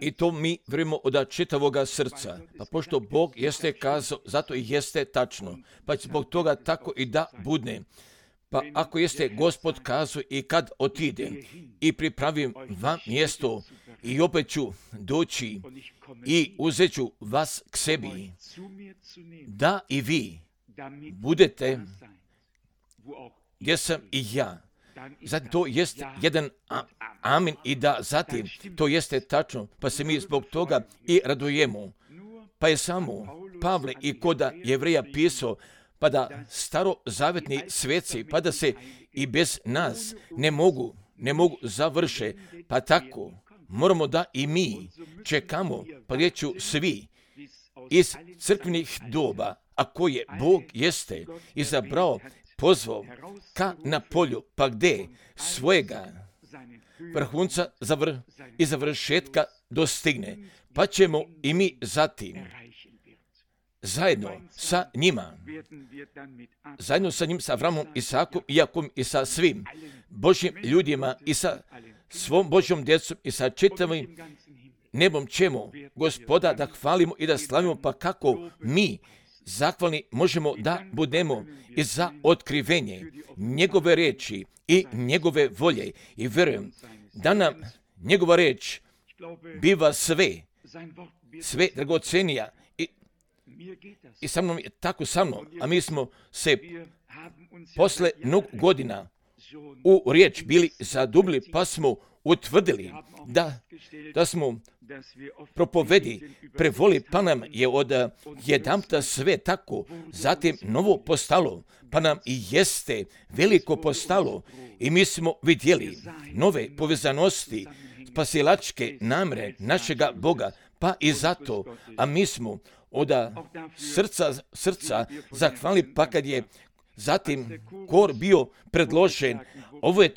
I to mi vjerujemo od čitavoga srca. Pa pošto Bog jeste kazao, zato i jeste tačno. Pa zbog toga tako i da budne. Pa ako jeste Gospod kazao i kad otide i pripravim vam mjesto i opet ću doći i uzet ću vas k sebi, da i vi budete gdje sam i ja. Zatim to jest jedan amin i da zatim to jeste tačno, pa se mi zbog toga i radujemo. Pa je samo Pavle i koda Jevreja pisao, pa da starozavetni sveci, pa da se i bez nas ne mogu završe, pa tako moramo da i mi čekamo, pa reću svi iz crkvenih doba, a koje Bog jeste izabrao, pozvao ka na polju, pa gde svojega vrhunca i završetka dostigne, pa ćemo i mi zatim zajedno sa njima, sa Avramom, Isakom, Jakom i sa svim Božjim ljudima i sa svom Božjom djecom i sa čitavim nebom ćemo Gospoda da hvalimo i da slavimo, pa kako mi zahvalni možemo da budemo i za otkrivenje njegove riječi i njegove volje. I vjerujem da nam njegova riječ biva sve dragocenija i sa mnom je tako sa mnom, a mi smo se posle mnogo godina u riječ bili zadubili, pa smo utvrdili da smo propovedi prevoli, pa nam je od jedanputa sve tako, zatim novo postalo, pa nam i jeste veliko postalo i mi smo vidjeli nove povezanosti, spasilačke namjere našega Boga, pa i zato, a mi smo od srca zahvalili, pa kad je zatim kor bio predložen, ovo je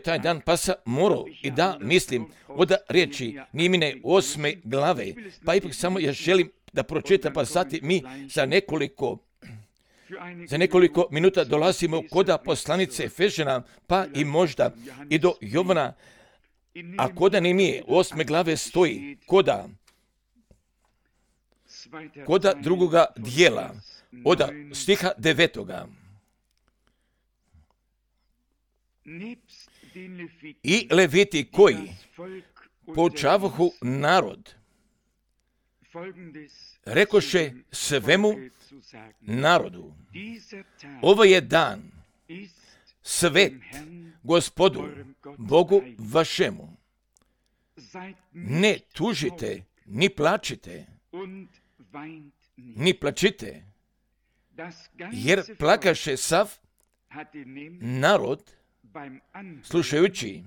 taj dan, pa sam morao i da mislim od riječi Nehemije 8. glave, pa ipak samo ja želim da pročitam, pa zatim mi za nekoliko minuta dolazimo kod poslanice Efežana, pa i možda i do Jovana, a kod Nehemije 8. glave stoji koda drugoga dijela, od stiha 9. I Leviti koji poučavahu narod, rekoše svemu narodu, ovo je dan svet Gospodu Bogu vašemu. Ne tužite, ni plačite, ni plačite, jer plakaše sav narod slušajući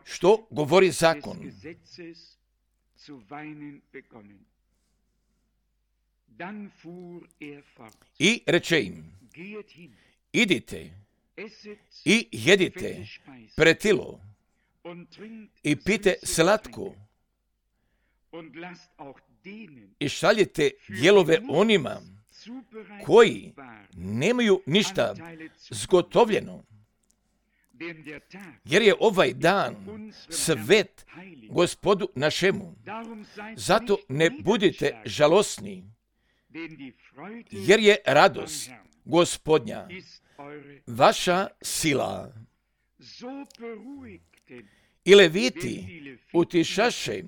što govori zakon. I reče im, idite i jedite pretilo i pite slatko i šaljite dijelove onima koji nemaju ništa zgotovljeno, jer je ovaj dan svet Gospodu našemu. Zato ne budite žalosni, jer je radost Gospodnja vaša sila. I Leviti utišaše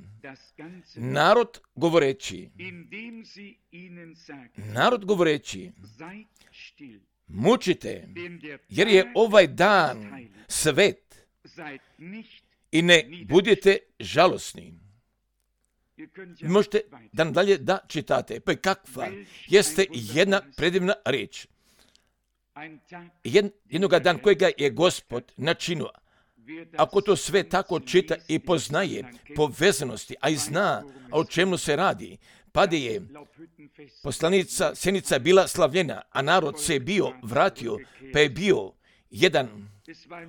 narod govoreći, mučite, jer je ovaj dan svet i ne budite žalosni. Možete dan dalje da čitate, pa kakva jeste jedna predivna riječ. Jednoga dan kojega je Gospod načinio, ako to sve tako čita i poznaje povezanosti, a i zna o čemu se radi, pa da je poslanica Sjenica bila slavljena, a narod se bio vratio, pa je bio jedan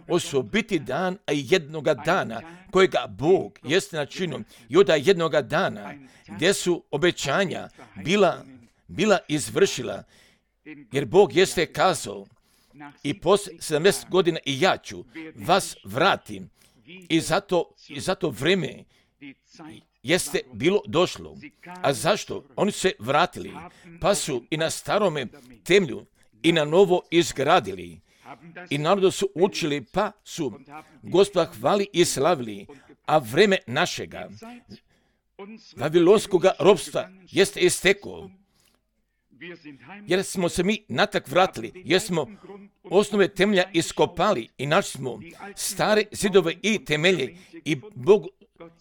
osobiti dan, a i jednoga dana kojega Bog jeste načinio i od jednoga dana gdje su obećanja bila izvršila, jer Bog jeste kazao, i poslije 70 godina i ja ću vas vratim I zato vreme jeste bilo došlo. A zašto? Oni su se vratili, pa su i na starome temelju i na novo izgradili. I narodu su učili, pa su Gospoda hvali i slavili. A vreme našega vavilonskog ropstva jeste isteklo. Jer smo se mi natrag vratili, jer smo osnove temelja iskopali i našli smo stare zidove i temelje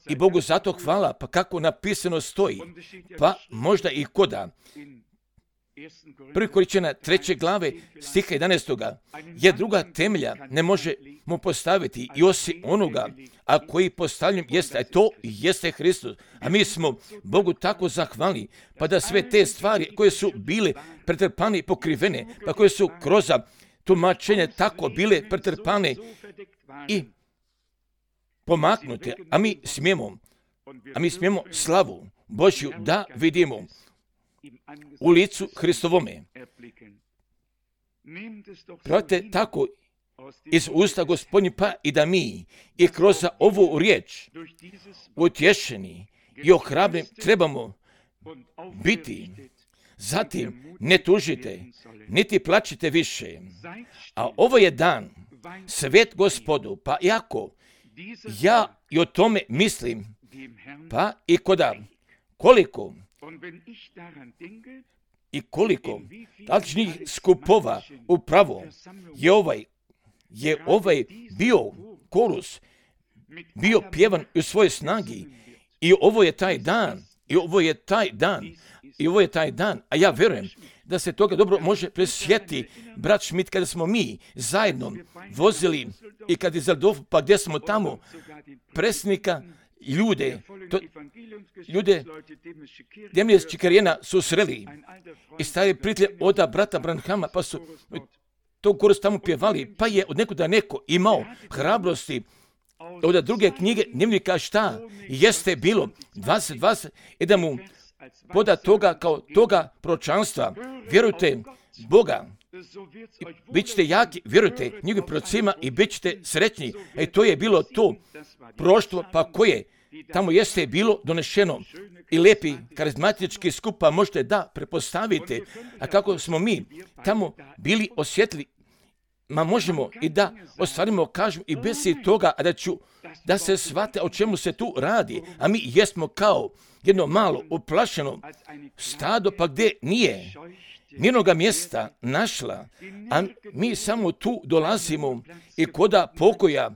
i Bogu zato hvala, pa kako napisano stoji, pa možda i koda. 1. Korinćana 3. glave stiha 11. jer druga temelja ne možemo postaviti i osim onoga, a koji postavljen jeste, a to jeste Hristos. A mi smo Bogu tako zahvalni, pa da sve te stvari koje su bile pretrpane i pokrivene, pa koje su kroz tumačenje tako bile pretrpane i pomaknute, a mi smijemo slavu Božju da vidimo u licu Hristovome. Pravite tako iz usta Gospodnji, pa i da mi i kroz ovu riječ utješeni i ohrabreni trebamo biti. Zatim ne tužite, niti plačite više. A ovo je dan, svet Gospodu, pa iako ja i o tome mislim, pa i koliko tačnih skupova upravo je ovaj bio korus, bio pjevan u svojoj snagi i ovo je taj dan, a ja vjerujem da se toga dobro može presjetiti, brat Schmidt, kada smo mi zajedno vozili i kad je Zaldorf, pa gdje smo tamo predsjednika ljude Demlje Čikarijena su sreli i stari prijatelj od brata Branhama, pa su to korus tamo pjevali, pa je od nekuda neko imao hrabrosti od druge knjige dnevnika šta jeste bilo 20 i da mu poda toga kao toga proročanstva. Vjerujte Boga, bit ćete jaki, vjerujte njegovim prorocima i bit ćete sretni. To je bilo to proroštvo, pa koje tamo jeste bilo donešeno i lijepi karizmatički skupa možete da prepostavite, a kako smo mi tamo bili osjetili, možemo i da ostvarimo, kažem, i bez toga, a da se shvate o čemu se tu radi, a mi jesmo kao jedno malo uplašeno stado, pa gdje nije nijednoga mjesta našla, a mi samo tu dolazimo i koda pokoja,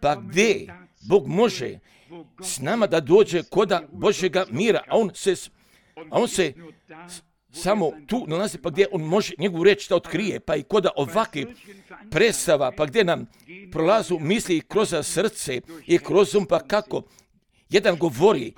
pa gdje Bog može s nama da dođe koda Božjega mira, a on se samo tu nalazi, pa gdje on može njegovu riječ da otkrije, pa i koda ovakvih predstava, pa gdje nam prolazu misli kroz srce i kroz pa kako jedan govori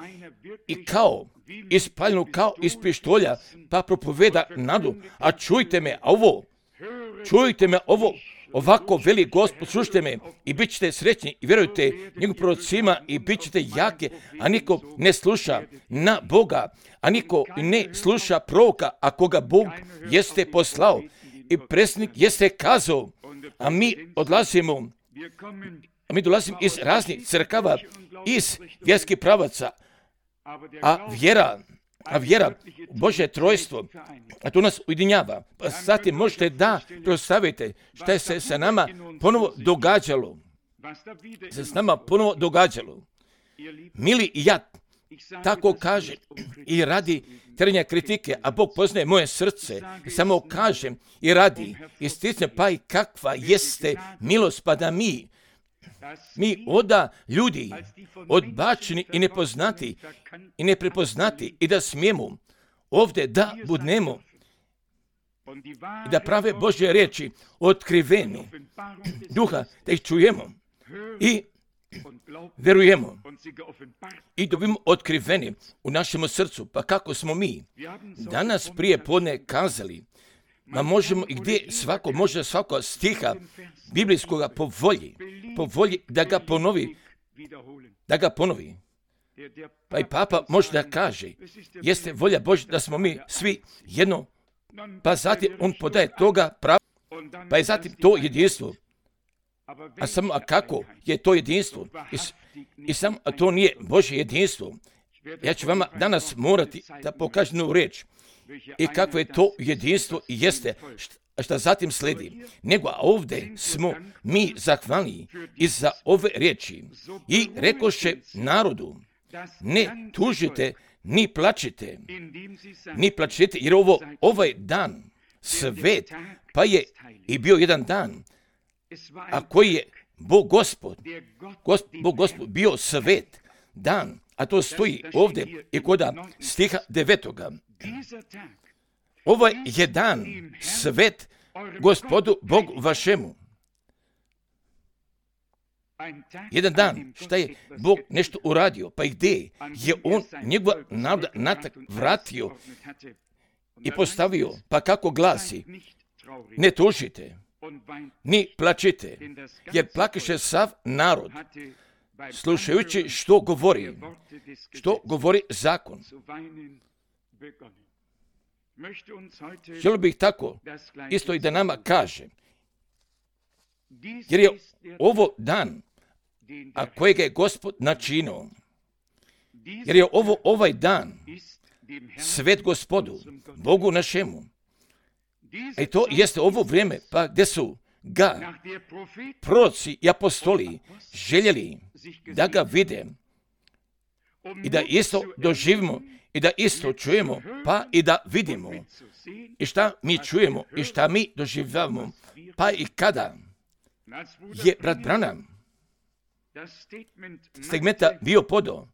i kao ispaljeno kao iz pištolja, pa propoveda nadu, a čujte me ovo, ovako veli Gospod, slušajte me i bit ćete srećni i vjerujte njegovim prorocima i bit ćete jake, a niko ne sluša na Boga, a niko ne sluša proroka, a koga Bog jeste poslao i predsjednik jeste kazao, a mi dolazimo iz raznih crkava, iz vjerskih pravaca, a vjera Božje trojstvo, a to nas ujedinjava. Pa zatim možete da predstavite šta je se sa nama ponovo događalo. Mili i ja tako kaže i radi terenja kritike, a Bog poznaje moje srce, samo kažem i radi isticne, pa i kakva jeste milost, pa da mi oda ljudi odbačeni i nepoznati i neprepoznati i da smijemo ovdje da budnemo i da prave Božje riječi otkriveni duha, da ih čujemo i vjerujemo i dobimo otkriveni u našem srcu. Pa kako smo mi danas prije podne kazali, možemo i gdje može svako stiha biblijskoga po volji da ga ponovi. Pa i Papa može da kaže, jeste volja Božja da smo mi svi jedno, pa zatim on podaje toga pravo, pa je zatim to jedinstvo. A kako je to jedinstvo? I samo to nije Božje jedinstvo. Ja ću vama danas morati da pokažem jednu riječ. I kakvo je to jedinstvo i jeste, šta zatim sledi. Nego ovdje smo mi zahvalni i za ove riječi. I rekoše narodu, ne tužite, ni plačite, jer ovaj dan svet, pa je i bio jedan dan, a koji je Bog Gospod bio svet dan, a to stoji ovdje i kod stiha 9. Ovaj je dan svet Gospodu Bogu vašemu. Jedan dan šta je Bog nešto uradio, pa i gdje je on njegova naroda natak vratio i postavio, pa kako glasi, ne tužite, ni plačite, jer plakiše sav narod, slušajući što govori zakon. Želio bih tako isto i da nama kaže, jer je ovo dan, a kojega je Gospod načinio, jer je ovaj dan svet Gospodu, Bogu našemu. I to jeste ovo vrijeme, pa gdje su ga proroci i apostoli željeli da ga vide i da isto doživimo i da isto čujemo, pa i da vidimo i šta mi čujemo i šta mi doživljavamo, pa i kada je brat Branham segmenta bio podao,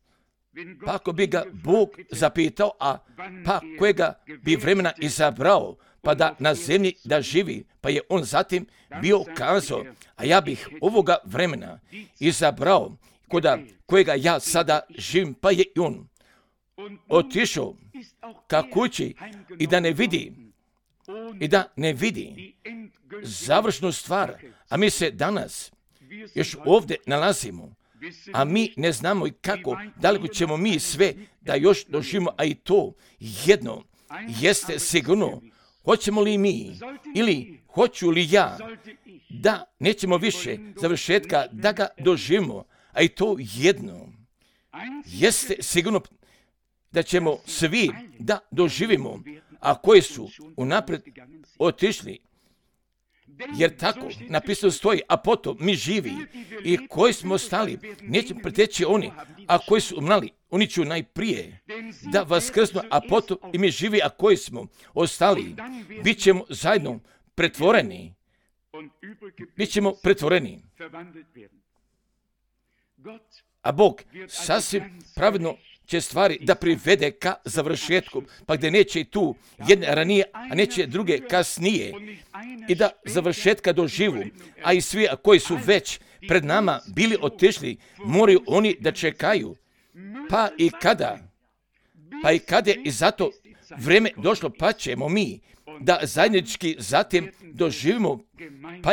pa ako bi ga Bog zapitao, a pa kojega bi vremena izabrao, pa da na zemlji da živi, pa je on zatim bio kazao, a ja bih ovoga vremena izabrao kojega ja sada živim, pa je i on otišao ka kući i da ne vidi završnu stvar, a mi se danas još ovdje nalazimo, a mi ne znamo i kako daleko ćemo mi sve da još doživimo, a i to jedno jeste sigurno, hoćemo li mi ili hoću li ja da nećemo više završetka da ga doživimo, a i to jedno jeste sigurno da ćemo svi da doživimo, a koji su unaprijed otišli. Jer tako napisano stoji, a potom mi živi i koji smo ostali, neće preteći oni, a koji su umrli, oni će najprije da vaskrsnu, a potom i mi živi, a koji smo ostali, bit ćemo zajedno pretvoreni. A Bog sasvim pravedno će stvari da privede ka završetku, pa gdje neće i tu jedne ranije, a neće druge kasnije, i da završetka doživu, a i svi koji su već pred nama bili otišli, moraju oni da čekaju, pa i kada je i zato vrijeme došlo, pa ćemo mi da zajednički zatim doživimo, pa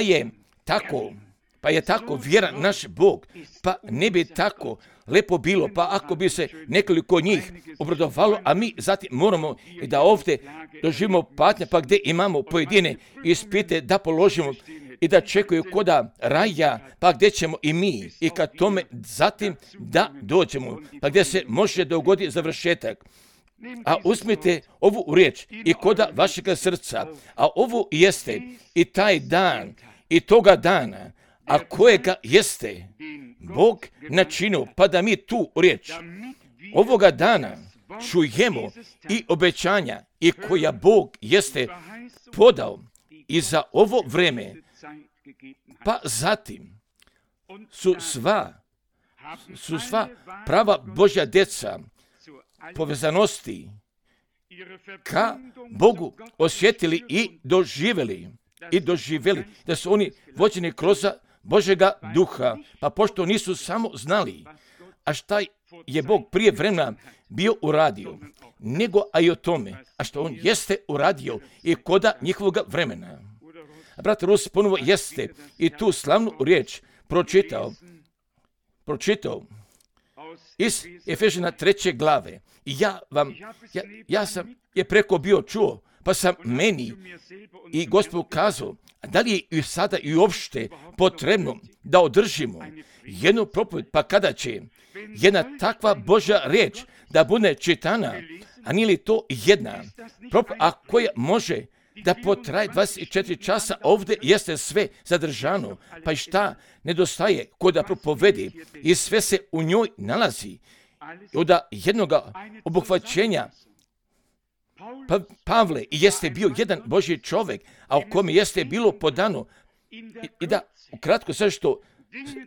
je tako vjeran naš Bog, pa ne bi tako lepo bilo, pa ako bi se nekoliko njih obradovalo, a mi zatim moramo i da ovdje doživimo patnje, pa gdje imamo pojedine ispite da položimo i da čekaju koda raja, pa gdje ćemo i mi i kad tome zatim da dođemo, pa gdje se može dogoditi završetak. A uzmite ovu riječ i koda vašega srca, a ovo jeste i taj dan i toga dana, a kojega jeste Bog načinio, pa da mi tu riječ ovoga dana čujemo i obećanja i koja Bog jeste podao i za ovo vrijeme, pa zatim su sva prava Božja djeca povezanosti ka Bogu osjetili i doživjeli da su oni vođeni kroz Božega duha, pa pošto nisu samo znali, a šta je Bog prije vremena bio uradio, nego a i o tome, a što on jeste uradio i koda njihovog vremena. A brat Rus ponovo jeste i tu slavnu riječ pročitao iz Efežana 3. glave. I ja sam je preko bio čuo, pa sam meni i Gospod kazao, da li je i sada i uopšte potrebno da održimo jednu propoved, pa kada će jedna takva Božja riječ da bude čitana, a nije li to jedna propoved, a koja može da potraje 24 časa, ovdje jeste sve zadržano, pa i šta nedostaje ko da propovedi i sve se u njoj nalazi. Od jednoga obuhvaćenja Pavle jeste bio jedan Božji čovjek, a u kome jeste bilo podano i da ukratko sve što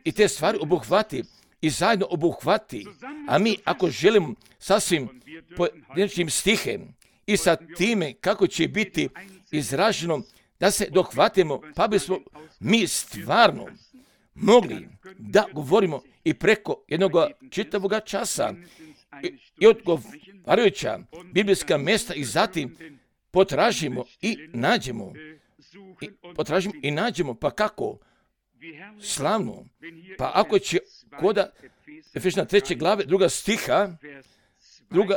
i te stvari obuhvati i zajedno obuhvati, a mi ako želimo sasvim pojedinačnim stihem i sa time kako će biti izraženo da se dohvatimo, pa bismo mi stvarno mogli da govorimo i preko jednog čitavog časa i odgovarajuća biblijska mjesta i zatim potražimo i nađemo, pa kako? Slavno. Pa ako će koda Efežana 3. glave druga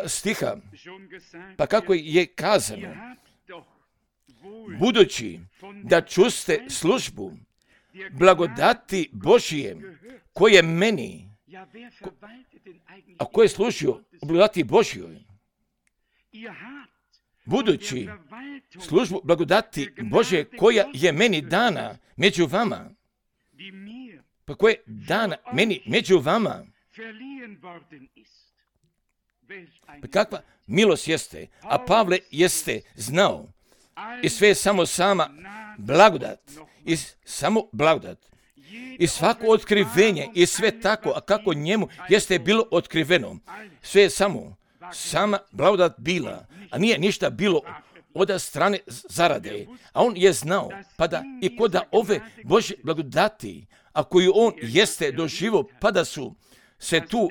stiha, pa kako je kazano, budući da čuste službu blagodati Božije koje meni, a ko je služio u blagodati Božjoj, budući službu blagodati Božje koja je meni dana među vama, pa koja je dana meni među vama, pa kakva milost jeste, a Pavle jeste znao i sve je samo sama blagodat, i samo blagodat. I svako otkrivenje i sve tako, a kako njemu jeste bilo otkriveno, sve je samo sama blagodat bila, a nije ništa bilo od strane zarade. A on je znao, pa da i kod ove Božje blagodati, a koju on jeste doživio, pa da su se tu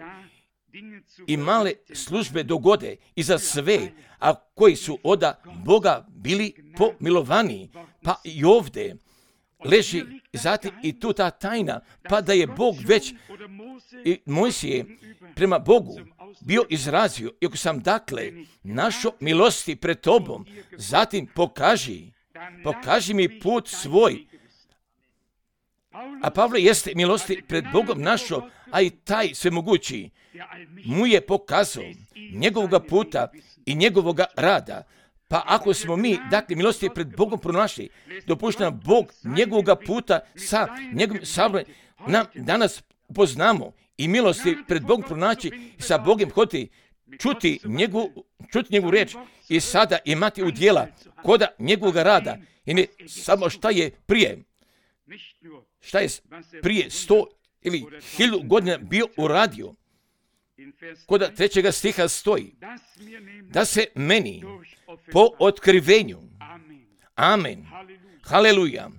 i male službe dogode i za sve, a koji su od Boga bili pomilovani, pa i ovdje leži zatim i tu ta tajna, pa da je Bog već i Mojsije prema Bogu bio izrazio, iako sam dakle našo milosti pred tobom, zatim pokaži mi put svoj. A Pavle jeste milosti pred Bogom našo, a i taj svemogući mu je pokazao njegovoga puta i njegovoga rada. Pa ako smo mi, dakle, milosti pred Bogom pronašli, dopušta nam Bog njegovoga puta sa njegovim sabljem, nam danas upoznamo i milosti pred Bogom pronaći i sa Bogom hoditi, čuti njegovu riječ i sada imati udjela koda njegovog rada. I ne samo šta je prije 100 ili 1000 godina bio uradio. Koda 3. stiha stoji, da se meni po otkrivenju, amen, haleluja,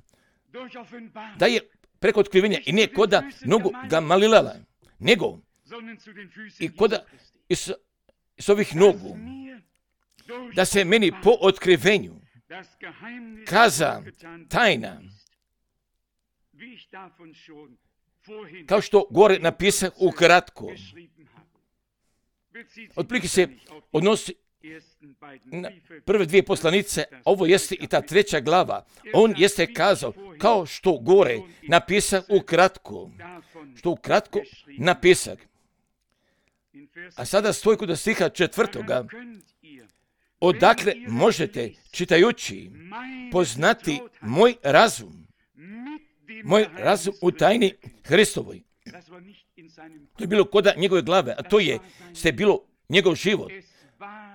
da je preko otkrivenja i nije koda nogu Gamalilala, nego i koda iz ovih nogu, da se meni po otkrivenju kaza tajna, kao što gore napisao ukratko. Otprilike se odnosi na prve dvije poslanice, ovo jeste i ta 3. glava. On jeste kazao, kao što gore napisao ukratko, napisak. A sada stoji kod stiha 4. Odakle možete, čitajući, poznati moj razum u tajni Hristovoj. To je bilo koda njegove glave, a to je bilo njegov život.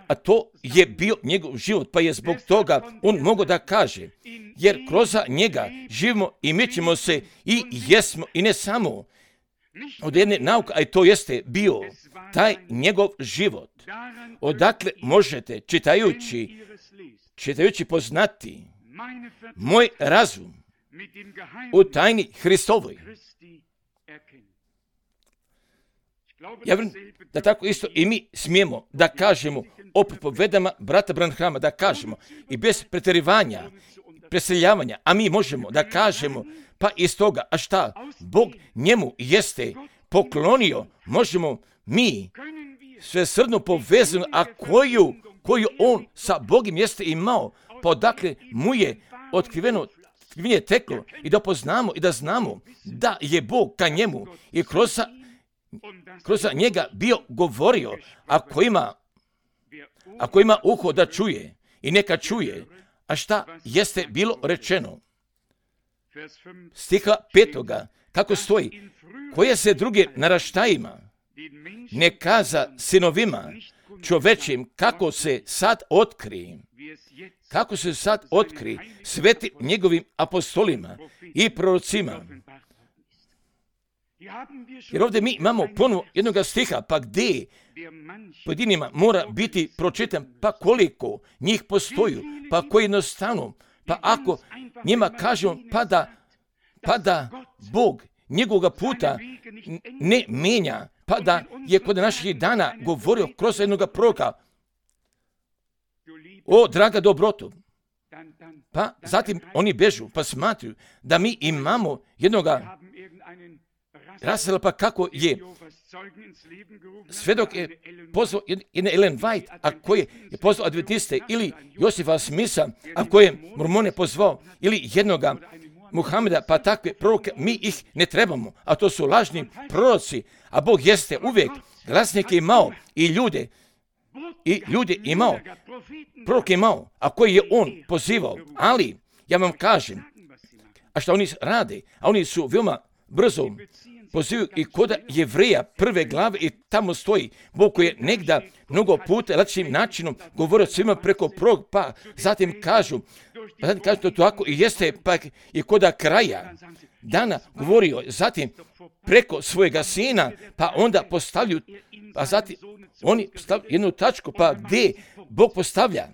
A to je bio njegov život, pa je zbog toga on mogao da kaže, jer kroz njega živimo i mi ćemo se i jesmo i ne samo od jedne nauke, a i to jeste bio taj njegov život. Odakle možete, čitajući poznati moj razum u tajni Hristovoj. Ja vjerujem da tako isto i mi smijemo da kažemo o propovedama brata Branhama, da kažemo i bez pretjerivanja, preseljavanja, a mi možemo da kažemo pa iz toga, a šta Bog njemu jeste poklonio, možemo mi sve srdno povezano, a koju on sa Bogom jeste imao, pa odakle mu je otkriveno teklo i da poznamo i da znamo da je Bog ka njemu i kroz njega bio govorio, ako ima uho da čuje i neka čuje, a šta jeste bilo rečeno. Stiha 5. kako stoji, koje se druge naraštajima ne kaza sinovima čovečim kako se sad otkri sveti njegovim apostolima i prorocima. Jer ovdje mi imamo ponovo jednoga stiha, pa gdje pojedinima mora biti pročitan, pa koliko njih postoju, pa koji jednostavno, pa ako njima kažemo pa da Bog njegovoga puta ne mijenja, pa da je kod naših dana govorio kroz jednoga proroka, o draga dobroto, pa zatim oni bežu, pa smatruju da mi imamo jednoga Rasela, pa kako je svedok je pozvao jedne Ellen White, a koji je pozvao Adventiste, ili Josifa Smitha, a koji je Mormone pozvao, ili jednoga Muhameda, pa takve proroke mi ih ne trebamo, a to su lažni proroci, a Bog jeste uvijek glasnike imao i ljude imao, proroke imao, a koji je on pozivao, ali ja vam kažem, a što oni rade, a oni su veoma brzo pozivaju i kod Jevreja 1. glave i tamo stoji Bog koji je negda mnogo puta lakšim načinom govorio svima preko prvog, pa zatim kažu to tako i jeste, pa i kod kraja dana govorio, zatim preko svojega sina, pa onda postavljaju, pa zatim oni postavljaju jednu tačku, pa gdje Bog postavlja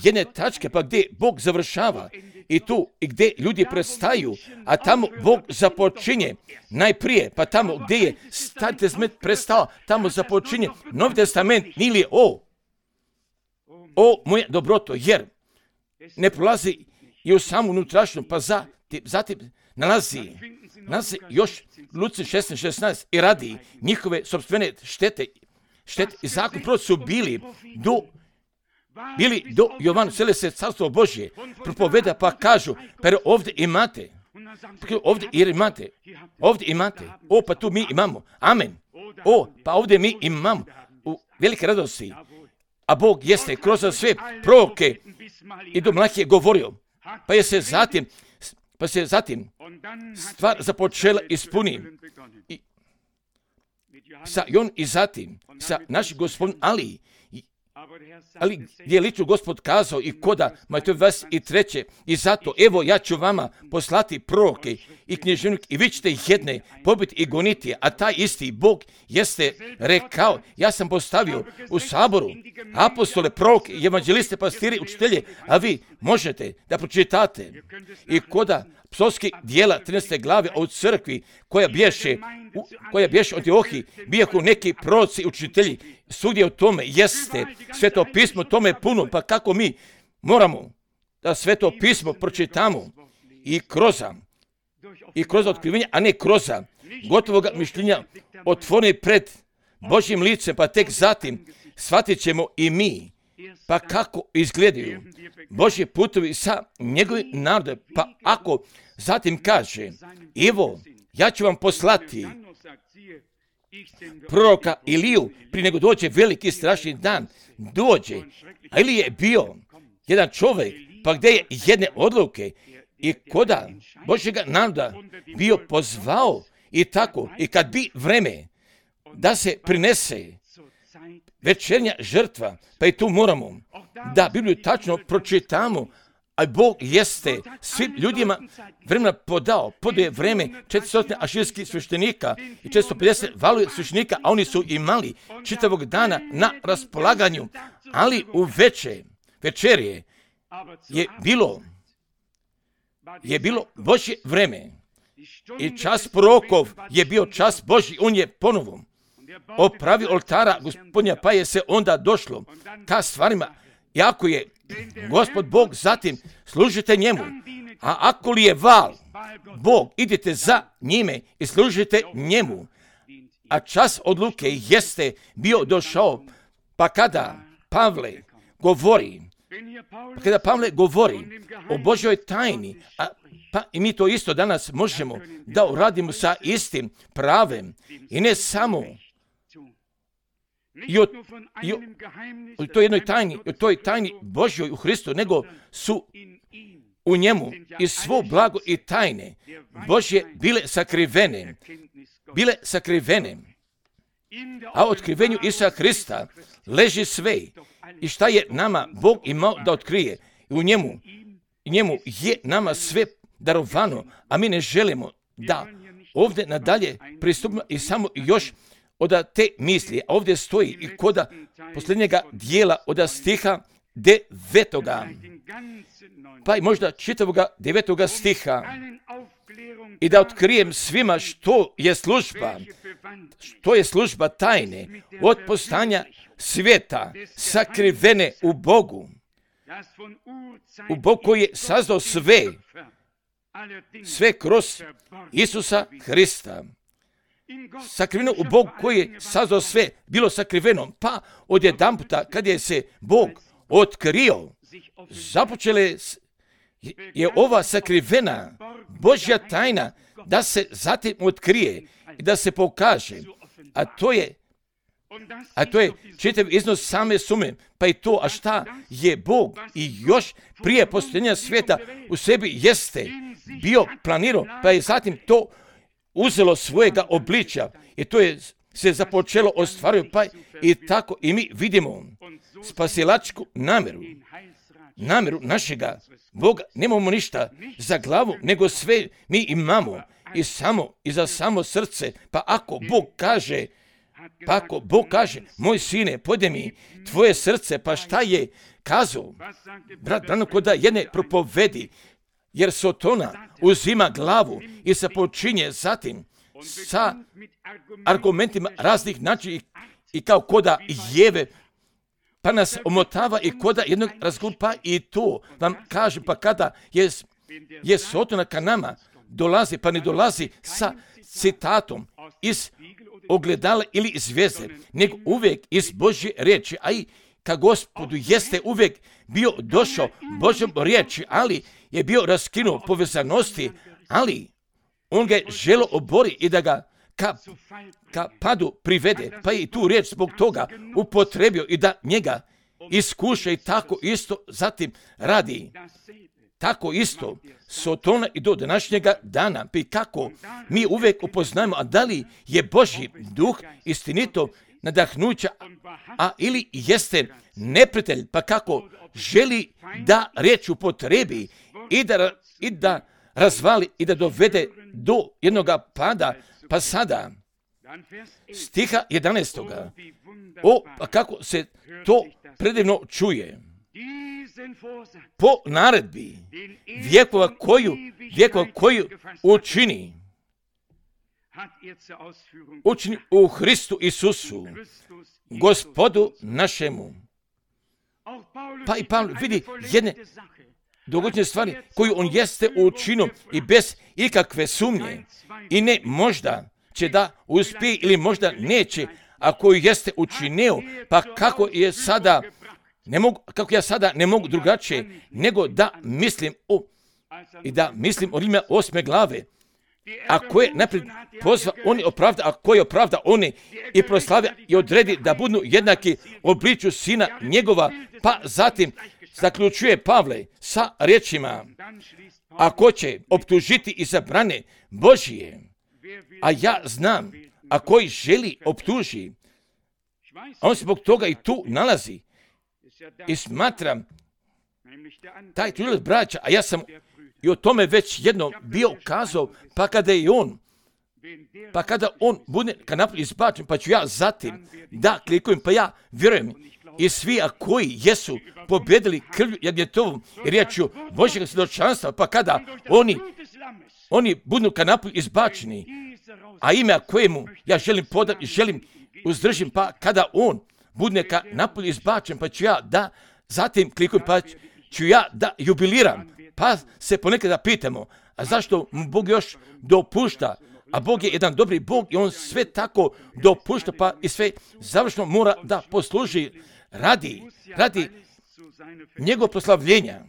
jedne tačke, pa gdje Bog završava i tu i gdje ljudi prestaju, a tamo Bog započinje najprije, pa tamo gdje je Stari testament prestao, tamo započinje Novi testament ili o moja dobroto, jer ne prolazi i u samu unutrašnju, pa zatim nalazi još Luci 16:16 i radi njihove sopstvene štete i zakon proroci su bili do Jovanu, sele se carstvo Božje, propoveda, pa kažu, pa ovdje imate, pa tu mi imamo, amen, pa ovdje mi imamo u velike radosti, a Bog jeste kroz sve proroke i do Malahije govorio, pa se zatim stvar započela ispuni sa Jon i zatim sa našim gospodin ali gdje je lično Gospod kazao i koda Matej 23. I zato, evo, ja ću vama poslati proroke i knježevnike i vi ćete jedne pobiti i goniti, a taj isti Bog jeste rekao, ja sam postavio u saboru apostole, proroke, evanđeliste, pastire, učitelje, a vi možete da pročitate i koda psovskih dijela 13. glave o crkvi koja bješe u Antiohiji, bijahu neki proroci i učitelji, svugdje u tome jeste Sveto pismo, tome puno, pa kako mi moramo da Sveto pismo pročitamo i kroz otkrivenje, a ne kroz gotovoga mišljenja otvoreni pred Božjim licem, pa tek zatim shvatit ćemo i mi, pa kako izgledaju Božji putovi sa njegovim narodom, pa ako zatim kaže, evo, ja ću vam poslati proroka Iliju prije nego dođe veliki strašni dan, dođe, a Ilija je bio jedan čovjek, pa gdje je jedne odluke i koda Božjega naroda bio pozvao i tako, i kad bi vreme da se prinese večernja žrtva, pa i tu moramo da Bibliju tačno pročitamo, a Bog jeste svim ljudima vremena podao je vreme 400 aširskih sveštenika i 450 valuje sveštenika, a oni su imali čitavog dana na raspolaganju, ali u večerje je bilo Božje vreme i čas prorokov je bio čas Božji, on je ponovo opravio oltara Gospodnja, pa je se onda došlo ka stvarima, jako je Gospod Bog, zatim služite njemu. A ako li je val Bog, idite za njime i služite njemu. A čas odluke jeste bio došao, pa kada Pavle govori o Božoj tajni, pa i mi to isto danas možemo da uradimo sa istim pravem i ne samo i o toj tajni Božjoj u Hristu, nego su u njemu i svo blago i tajne Božje bile sakrivene. A u otkrivenju Isusa Hrista leži sve. I šta je nama Bog imao da otkrije? I u njemu je nama sve darovano, a mi ne želimo da ovdje nadalje pristupimo i samo još od te misli. A ovdje stoji i kod posljednjega dijela od stiha 9. Pa i možda čitavoga 9. stiha. I da otkrijem svima što je služba tajne od postanja svijeta sakrivene u Bogu koji je sazdao sve kroz Isusa Hrista. Sakriveno u Bogu koji je sazdao sve, bilo sakriveno, pa odjedanputa kad je se Bog otkrio, započele je ova sakrivena Božja tajna da se zatim otkrije i da se pokaže, a to je čitav iznos same sume, pa i to, a šta je Bog i još prije postojanja svijeta u sebi jeste bio planirao, pa je zatim to uzelo svojega obličja i to je se započelo ostvariti, pa i tako i mi vidimo spasilačku namjeru našega Boga. Nemamo ništa za glavu, nego sve mi imamo i za samo srce. Pa ako Bog kaže, moj sine, pojde mi tvoje srce, pa šta je kazao? Brat Branham kod jedne propovedi, jer Sotona uzima glavu i se počinje zatim sa argumentima raznih načina i kao koda Jeve, pa nas omotava i koda jednog razgovora, pa i to vam kaže, pa kada je Sotona ka nama dolazi, pa ne dolazi sa citatom iz ogledala ili iz zvijezde, nego uvijek iz Božje riječi, a i ka Gospodu jeste uvijek bio došao Božjom riječi, ali je bio raskinuo povezanosti, ali on ga je želo obori i da ga ka padu privede, pa je i tu riječ zbog toga upotrebio i da njega iskuša i tako isto zatim radi. Tako isto Sotona i do današnjega dana, pa kako mi uvijek upoznajemo, a da li je Božji duh istinito nadahnuća, a ili jeste neprijatelj, pa kako želi da riječ upotrebi i da razvali i da dovede do jednoga pada, pa sada stiha 11. Pa kako se to predivno čuje. Po naredbi vjekova koju učini u Hristu Isusu, Gospodu našemu. Pa i Pavle vidi jedne dogodne stvari koju on jeste učinio i bez ikakve sumnje i ne možda će da uspije ili možda neće, a koju jeste učinio, pa kako ja sada ne mogu drugačije nego da mislim o Rimljanima 8. glave. Ako je naprijed pozva, oni opravda, a koji opravda, oni i proslavlja i odredi da budu jednaki obliču sina njegova, pa zatim zaključuje Pavle sa riječima, ako će optužiti i zabrane Božije, a ja znam, a koji želi optuži, on se zbog toga i tu nalazi i smatram taj tužilac braća, a ja sam i o tome već jednom bio kazao, pa kada on bude ka napolje izbačen, pa ću ja zatim da klikujem, pa ja vjerujem i svi koji jesu pobjedili krvlju jagnjetovom i riječju Božjeg svjedočanstva, pa kada oni budu ka napolje izbačeni, a ime kojemu ja želim podati i želim uzdržim, pa kada on bude ka napolje izbačen, pa ću ja da zatim klikujem pa ću ja da jubiliram. Pa se ponekada pitamo, a zašto Bog još dopušta? A Bog je jedan dobri Bog i on sve tako dopušta, pa i sve završno mora da posluži radi njegov proslavljenja.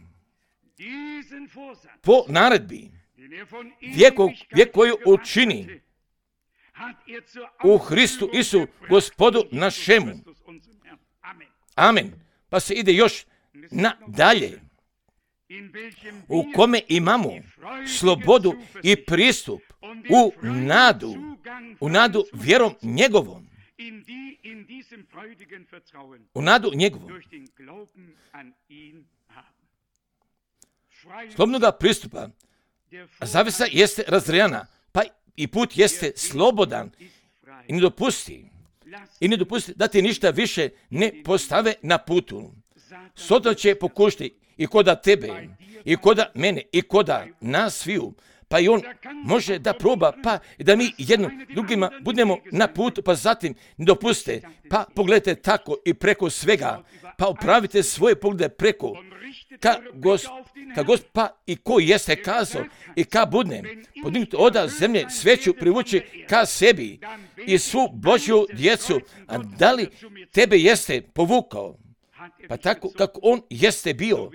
Po naredbi vijek koju učini u Hristu Isu, Gospodu našemu. Amen. Pa se ide još nadalje, u kome imamo slobodu i pristup u nadu vjerom njegovom. U nadu njegovom. Slobodnoga pristupa. Zavesa jeste razrejana, pa i put jeste slobodan i ne dopusti da ti ništa više ne postave na putu. Sotona će pokušati i koda tebe, i koda mene, i koda nas sviju, pa i on može da proba, pa i da mi jednim drugima budemo na putu, pa zatim ne dopuste, pa pogledajte tako i preko svega, pa upravite svoje poglede preko, pa i ko jeste kazao i ka budne, podignuti oda zemlje sveću privući ka sebi i svu Božju djecu, a da li tebe jeste povukao? Pa tako kako on jeste bio,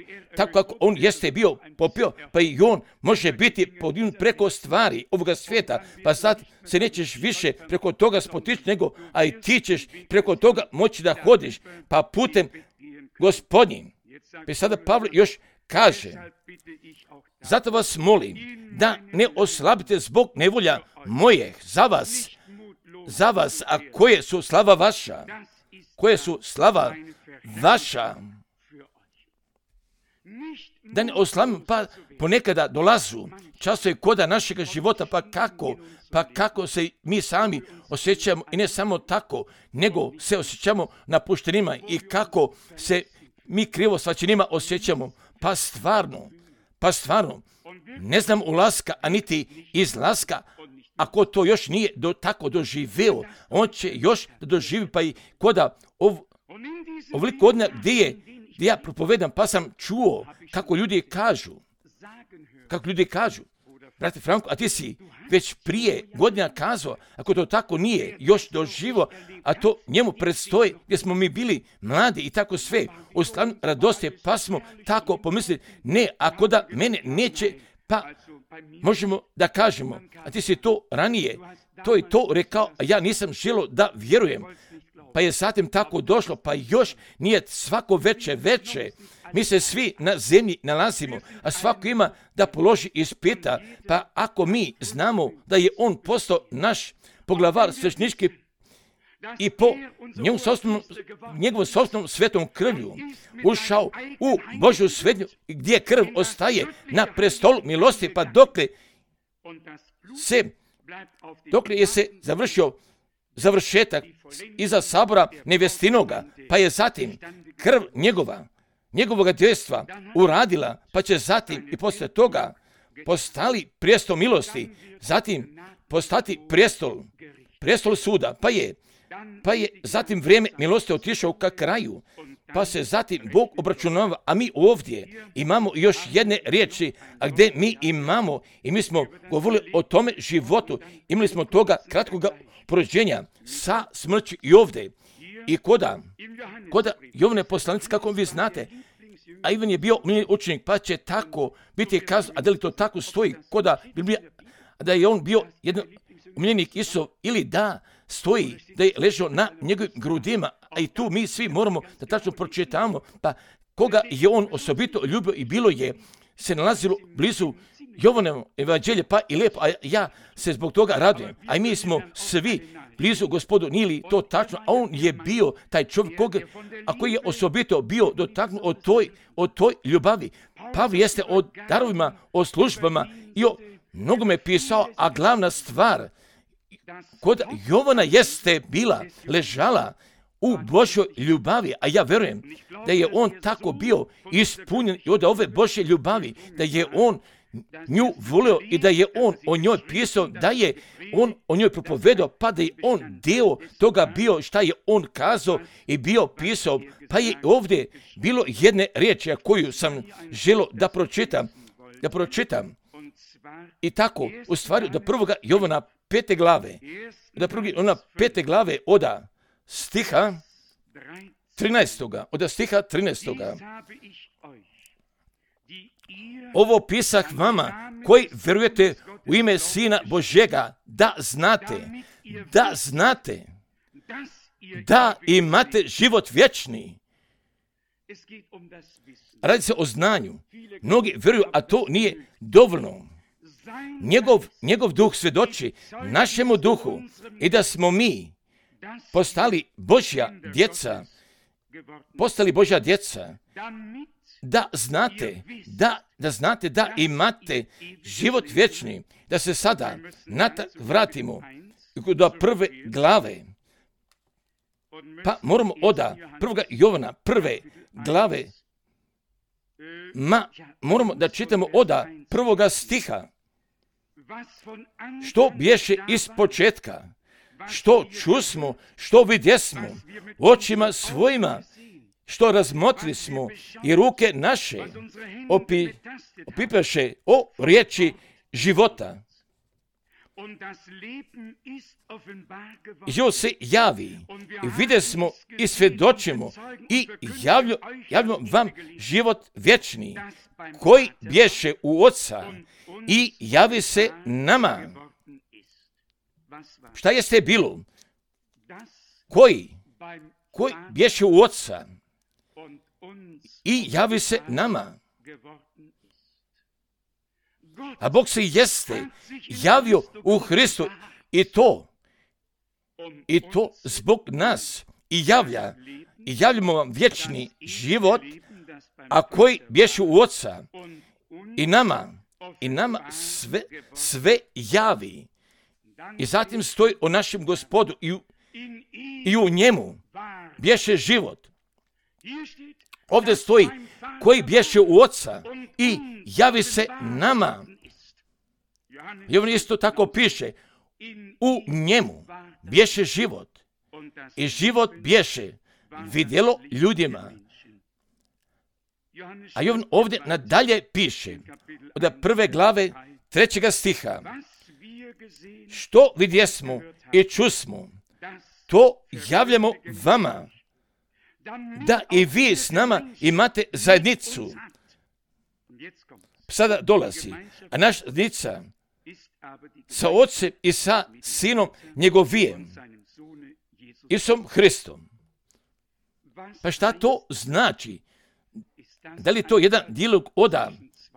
popio, pa i on može biti podignut preko stvari ovoga svijeta, pa sad se nećeš više preko toga spotići, nego, a i ti ćeš preko toga moći da hodiš, pa putem Gospodnjim. Pa sada Pavle još kaže, zato vas molim da ne oslabite zbog nevolja mojih za vas, a koje su slava vaša, da ne oslabimo, pa ponekada dolazu časovi koda našega života, pa kako se mi sami osjećamo i ne samo tako, nego se osjećamo napuštenima i kako se mi krivo svačenima osjećamo, pa stvarno, ne znam ulaska, a niti izlaska. Ako to još nije tako doživeo, on će još da doživi, pa i koda ovoliko godina gdje ja propovedam, pa sam čuo kako ljudi kažu, brate Franko, a ti si već prije godina kazao, ako to tako nije još doživo, a to njemu predstoji gdje smo mi bili mladi i tako sve, u stanu radosti, pa smo tako pomislili, ne, ako da mene neće, pa možemo da kažemo, a ti si to ranije, to i to rekao, a ja nisam želio da vjerujem, pa je zatim tako došlo, pa još nije svako veče, mi se svi na zemlji nalazimo, a svako ima da položi ispita, pa ako mi znamo da je on postao naš poglavar sveštenički i po njegovom sopstvenom svetom krvlju ušao u Božju svetnju gdje krv ostaje na prestolu milosti, pa dokle je se završio završetak iza sabora nevestinoga, pa je zatim krv njegovoga djestva uradila, pa će zatim i poslije toga postali prijestol milosti, zatim postati prijestol suda, pa je zatim vrijeme milosti otišao ka kraju, pa se zatim Bog obračunava, a mi ovdje imamo još jedne riječi, a gdje mi imamo, i mi smo govorili o tome životu, imali smo toga kratkoga porođenja sa smrću i ovdje. I koda Jovane poslanice, kako vi znate, a Ivan je bio omiljeni učenik, pa će tako biti kazano, a da li to tako stoji, koda Biblija, da je on bio jedan omiljenik Isov, ili da stoji, da je ležao na njegovim grudima, a i tu mi svi moramo da tačno pročitamo, pa koga je on osobito ljubio i bilo je se nalazilo blizu Jovanova evanđelja, pa i lijepo, a ja se zbog toga radujem, a i mi smo svi blizu Gospodu, nije li to tačno, a on je bio taj čovjek a koji je osobito bio dotaknut od toj ljubavi. Pavle jeste o darovima, o službama i o mnogome pisao, a glavna stvar kod Jovana jeste ležala u Božoj ljubavi, a ja vjerujem da je on tako bio ispunjen i od ove Božje ljubavi, da je on nju volio i da je on o njoj pisao, da je on o njoj propovedao, pa da je on dio toga bio šta je on kazao i bio pisao, pa je ovdje bilo jedne riječi koju sam želio da pročitam. I tako, u stvari, do 1. Jovana 5. glave, do 5. glave od stiha 13. Ovo pisah vama koji vjerujete u ime Sina Božjega, da znate da imate život vječni. Radi se o znanju. Mnogi vjeruju, a to nije dovoljno. Njegov duh svjedoči našemu duhu i da smo mi postali Božja djeca, da znate da imate život vječni, da se sada vratimo do 1. glave. Pa moramo od 1. Jovana 1. glave, moramo da čitamo od 1. stiha. Što bješe iz početka, što čusmo, što vidjesmo očima svojima, što razmotri smo i ruke naše opipaše o riječi života. Život se javi i vidjesmo i svjedočimo i javljamo vam život vječni koji bješe u Oca i javi se nama. Šta jeste bilo? Koji bješe u Oca i javi se nama. A Bog se jeste javio u Hristu i to zbog nas i javljamo vam vječni život, a koji bješe u Oca i nama sve javi. I zatim stoji o našem Gospodu i u njemu bješe život. Ovdje stoji koji bješe u Oca i javi se nama. I on isto tako piše, u njemu bješe život i život bješe vidjelo ljudima. A i on ovdje nadalje piše, od 1. glave 3. stiha, što vidjesmo i čusmo, to javljamo vama, da i vi s nama imate zajednicu. Sada dolazi, a naša zajednica sa Otcem i sa Sinom njegovijem, Isusom Hristom. Pa šta to znači? Da li je to jedan dijalog od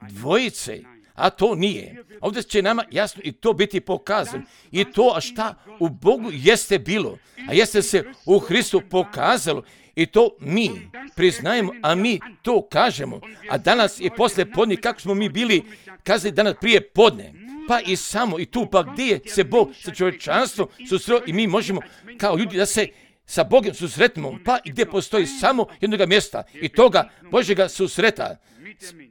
dvojice? A to nije. Ovdje će nama jasno i to biti pokazano. I to, a šta u Bogu jeste bilo, a jeste se u Hristu pokazalo, i to mi priznajemo, a mi to kažemo. A danas je poslije podne, kako smo mi bili kazali danas prije podne. Pa i samo i tu, pa gdje se Bog sa čovječanstvom susreo i mi možemo kao ljudi da se sa Bogom susretimo, pa i gdje postoji samo jednoga mjesta i toga Božjega susreta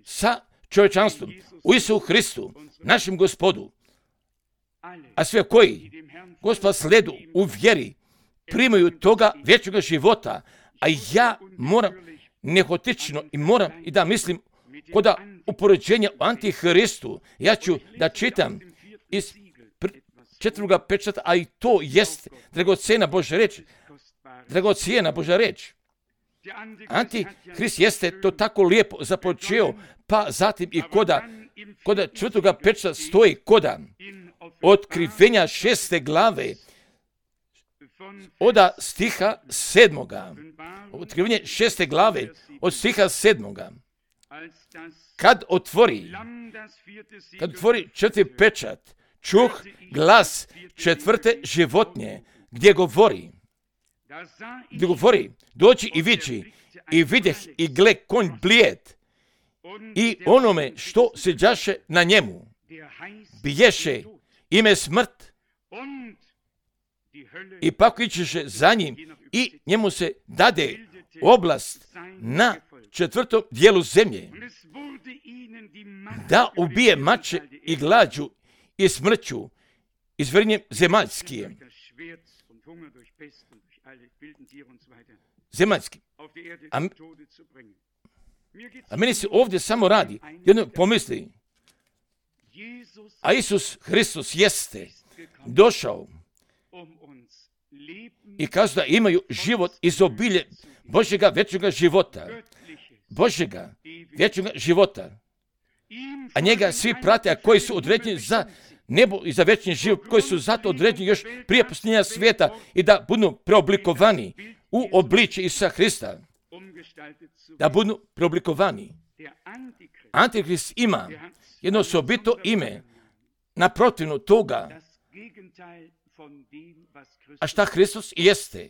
sa čovječanstvom u Isusu Hristu, našem Gospodu. A sve koji Gospoda sledu u vjeri primaju toga vječnoga života, a ja moram nehotično i moram i da mislim kod upoređenja o Antihristu, ja ću da čitam iz 4. pečata, a i to jest dragocjena Božja reč. Antihrist jeste to tako lijepo započeo, pa zatim i koda 4. pečata stoji koda otkrivenja 6. glave od stiha 7. Otkrivenje 6. glave od stiha 7. Kad otvori 4. pečat, čuh glas 4. životinje gdje govori, dođi i viđi, i vidjeh i gle konj blijed, i onome što sjeđaše na njemu biješe ime smrt, i pakujući za njim, i njemu se dade oblast na 4. dijelu zemlje. da ubije mače i glađu i smrću i zvrnjem zemaljskije. Zemaljski. A meni se ovdje samo radi, jedno pomisli, a Isus Hristos jeste došao i kazao da imaju život iz obilje Božjega vječnoga života. Božjega vječnoga života. A njega svi prate, a koji su određeni za nebo i za vječni život, koji su zato određeni još prije posljednja svijeta i da budu preoblikovani u obličje Isusa Hrista. Da budu preoblikovani. Antikrist ima jedno osobito ime naprotivno toga. A šta Hristos jeste?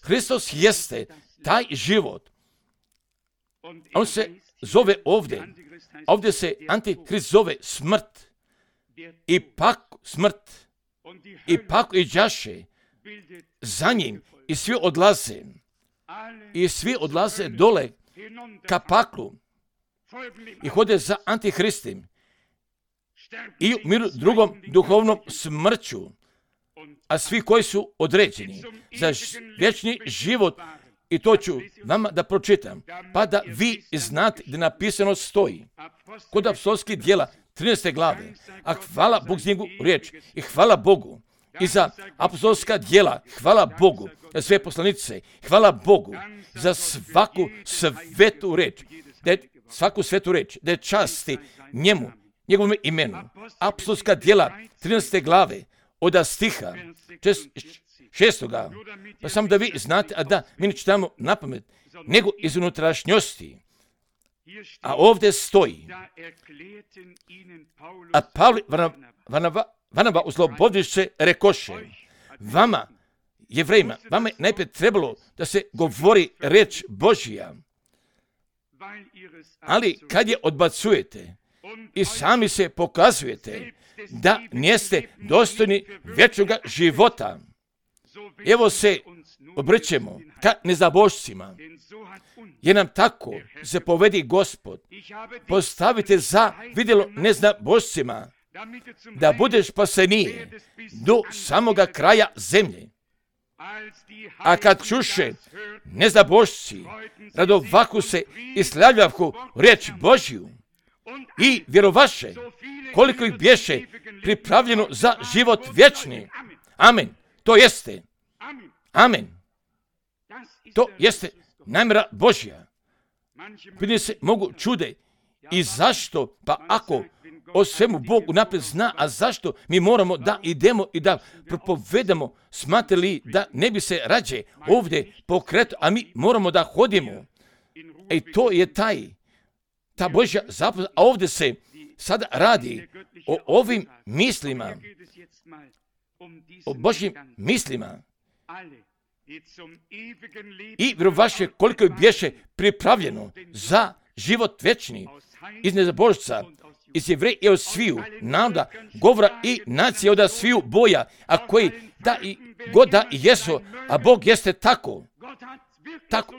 Hristos jeste taj život. On se zove ovdje se Antikrist zove smrt. I pak smrt. I pak i đaše za njim i svi odlaze. I svi odlaze dole ka paklu i hode za Antihristim i umiru drugom duhovnom smrću, a svi koji su određeni za vječni život, i to ću vama da pročitam, pa da vi znate da napisano stoji kod apostolskih djela 13. glave, a hvala Bogu za njegovu riječ i hvala Bogu i za apostolska djela, hvala Bogu za sve poslanice, hvala Bogu za svaku svetu reč, svaku svetu reč, da je časti njemu, njegovom imenu. Apostolska djela 13. glave od stiha 6. Pa samo da vi znate, a da mi ne čitamo na pamet, nego iz unutrašnjosti. A ovdje stoji, a Pavli Varnaba oslobodiše rekoše, vama, Jevrejima, vama je najprije trebalo da se govori reč Božja, ali kad je odbacujete i sami se pokazujete da niste dostojni vječnoga života, evo se obrćemo ka nezabožcima, jer nam tako zapovedi Gospod, postavite za vidjelo neznabožcima, da budeš spasenije do samoga kraja zemlje. A kad čuše neznabožci, radovaku se i slavljavku riječ Božju i vjerovaše, koliko ih bješe pripravljeno za život vječni. Amen. To jeste. Amen. To jeste namjera Božja. Pitanje se mogu čude. I zašto? Pa ako o svemu Bog unaprijed zna, a zašto mi moramo da idemo i da propovedamo, smatrali da ne bi se rađe ovdje pokreto, a mi moramo da hodimo. I to je ta Božja zapovjed, a ovdje se sada radi o ovim mislima, o Božjim mislima. I vjerovaše koliko je bješe pripravljeno za život vječni iz nezabožca, iz Jevreja i od sviju naroda, govora i nacije od sviju boja, a koji da i god da i jesu, a Bog jeste tako,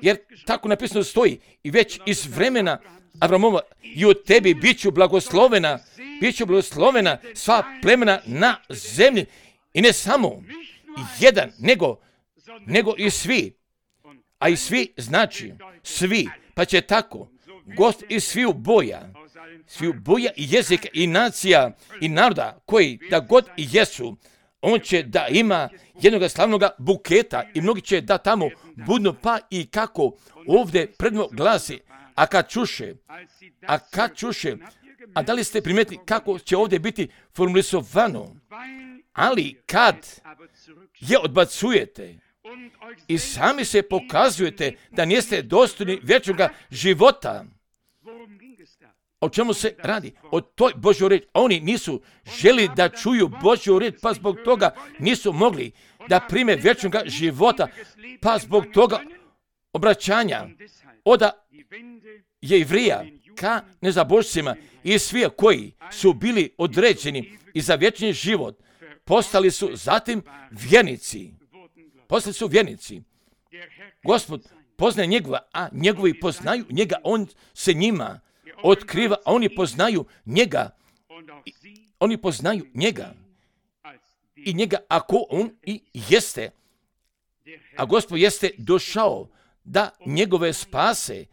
jer tako napisano stoji i već iz vremena Avramova i u tebi bit ću blagoslovena sva plemena na zemlji, i ne samo jedan, nego i svi, a i svi znači svi, pa će tako gost iz sviju boja i jezika i nacija i naroda koji da god i jesu, on će da ima jednoga slavnoga buketa i mnogi će da tamo budu, pa i kako ovdje predno glasi, a kad čuše, a da li ste primijetili kako će ovdje biti formulisovano, ali kad je odbacujete i sami se pokazujete da niste dostojni vječnoga života. O čemu se radi? O toj Božjoj riječi. Oni nisu želi da čuju Božju riječ, pa zbog toga nisu mogli da prime vječnoga života, pa zbog toga obraćanja od Jevrija ka nezabožcima i svi koji su bili određeni i za vječni život, postali su zatim vjernici. Gospod poznaje njegova, a njegovi poznaju njega, on se njima otkriva, a oni poznaju njega. Oni poznaju njega. I njega ako on i jeste. A Gospod jeste došao da njegove spase.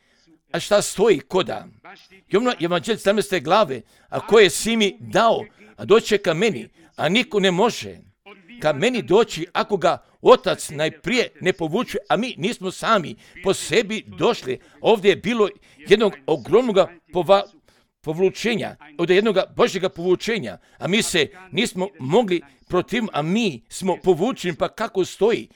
A šta stoji koda? Jovno Evanđelje 17. glave, a koje si mi dao, a doće ka meni, a niko ne može ka meni doći ako ga Otac najprije ne povuče, a mi nismo sami po sebi došli. Ovdje je bilo jednog ogromnog povlučenja, od jednog Božjega povučenja, a mi se nismo mogli protiv, a mi smo povučeni, pa kako stoji?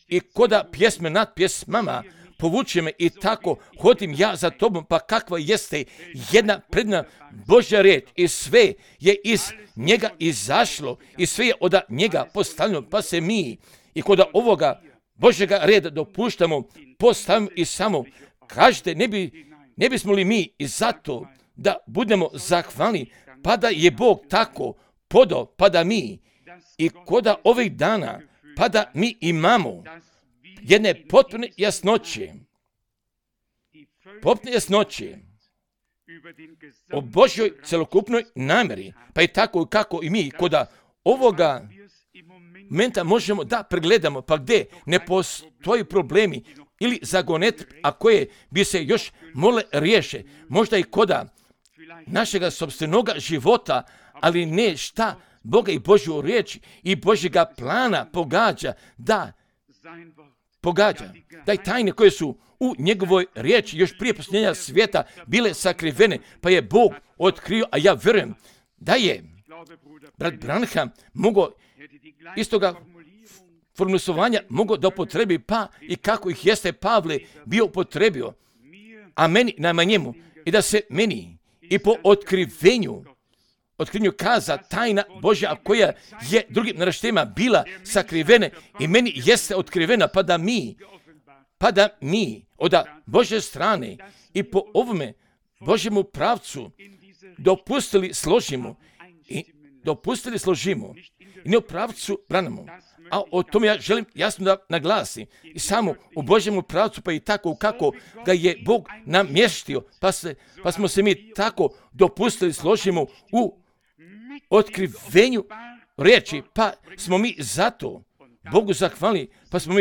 I koda pjesme nad pjesmama povuče me i tako hodim ja za tobom, pa kakva jeste jedna predna Božja riječ i sve je iz njega izašlo i sve je od njega postavljeno, pa se mi i kod ovoga Božjega reda dopuštamo, postavimo i samo kažete, ne bismo li mi i zato da budemo zahvalni, pa da je Bog tako podao, pa da mi i koda ovih dana, pa da mi imamo jedne potpune jasnoće o Božjoj celokupnoj namjeri, pa i tako kako i mi koda ovoga momenta možemo da pregledamo, pa gdje ne postoji problemi ili zagonet, a koje bi se još mole riješe, možda i koda našega sopstvenoga života, ali ne šta Boga i Božju riječ i Božjega plana pogađa, da i tajne koje su u njegovoj riječi još prije posljednja svijeta bile sakrivene, pa je Bog otkrio, a ja vjerujem da je brat Branham mogao istoga formulisovanja mogao da upotrebi, pa i kako ih jeste Pavle bio upotrebio, a meni najmanjemu, i da se meni i po otkrivenju kaza tajna Božja koja je drugim naraštajima bila sakrivene i meni jeste otkrivena, pa da mi od Božje strane i po ovome Božjemu pravcu dopustili složimo i ne u pravcu branamo. A o tome ja želim jasno da naglasim. I samo u Božjemu pravcu, pa i tako kako ga je Bog namještio, pa smo se mi tako dopustili složimo u otkrivenju riječi, pa smo mi zato Bogu zahvalni, pa smo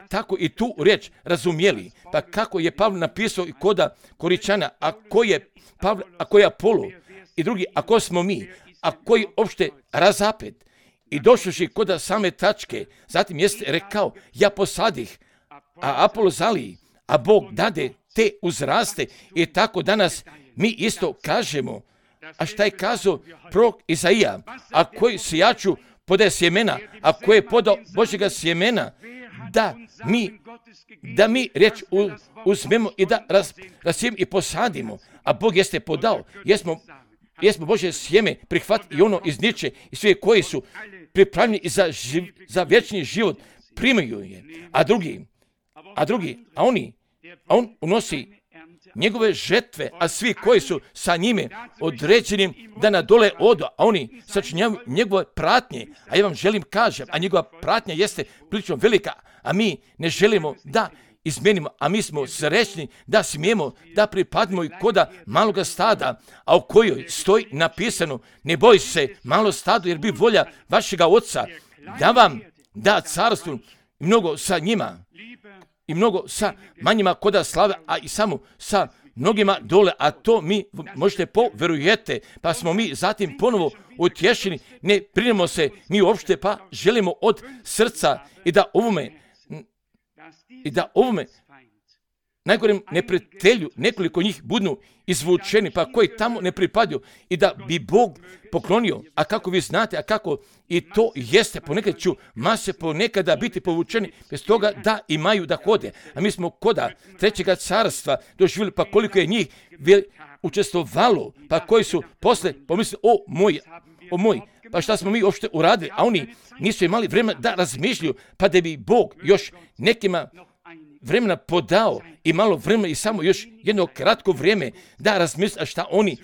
tako i tu riječ razumjeli. Pa kako je Pavle napisao i koda Koričana, a ko je Apolo i drugi, a ko smo mi, a koji opšte razapet. I došoši koda same tačke, zatim jeste rekao, ja posadih, a Apolo zaliji, a Bog dade te uzraste. I tako danas mi isto kažemo, a šta je kazao prorok Izaija, a koji sijaču podaje sjemena, a koji je podao Božjega sjemena, da mi riječ uzmemo i da rasijemo i posadimo, a Bog jeste podao, jesmo Božje sjeme prihvatili i ono iz niče i sve koji su pripravljeni za vječni život primaju je, a on unosi njegove žetve, a svi koji su sa njime određenim da na dole odu, a oni sačinjavaju njegove pratnje, a ja vam želim kažem, a njegova pratnja jeste prilično velika, a mi ne želimo da izmenimo, a mi smo srećni da smijemo da pripadimo i koda maloga stada, a u kojoj stoji napisano, ne boj se malo stado, jer bi volja vašega Oca da vam da carstvo i mnogo sa njima, i mnogo sa manjima koda slave, a i samo sa mnogima dole, a to mi možete poverujete, pa smo mi zatim ponovo utješeni, ne brinemo se mi uopšte, pa želimo od srca i da ovome najgorem neprijatelju nekoliko njih budu izvučeni, pa koji tamo ne pripadaju, i da bi Bog poklonio, a kako vi znate, a kako i to jeste, ponekad ću mase ponekada biti povučeni bez toga da imaju da hode. A mi smo koda trećega carstva doživjeli, pa koliko je njih učestvovalo, pa koji su posle pomislili, o moj, pa šta smo mi uopšte uradili, a oni nisu imali vremena da razmišljaju, pa da bi Bog još nekima vremena podao i malo vremena i samo još jedno kratko vrijeme da razmisle šta oni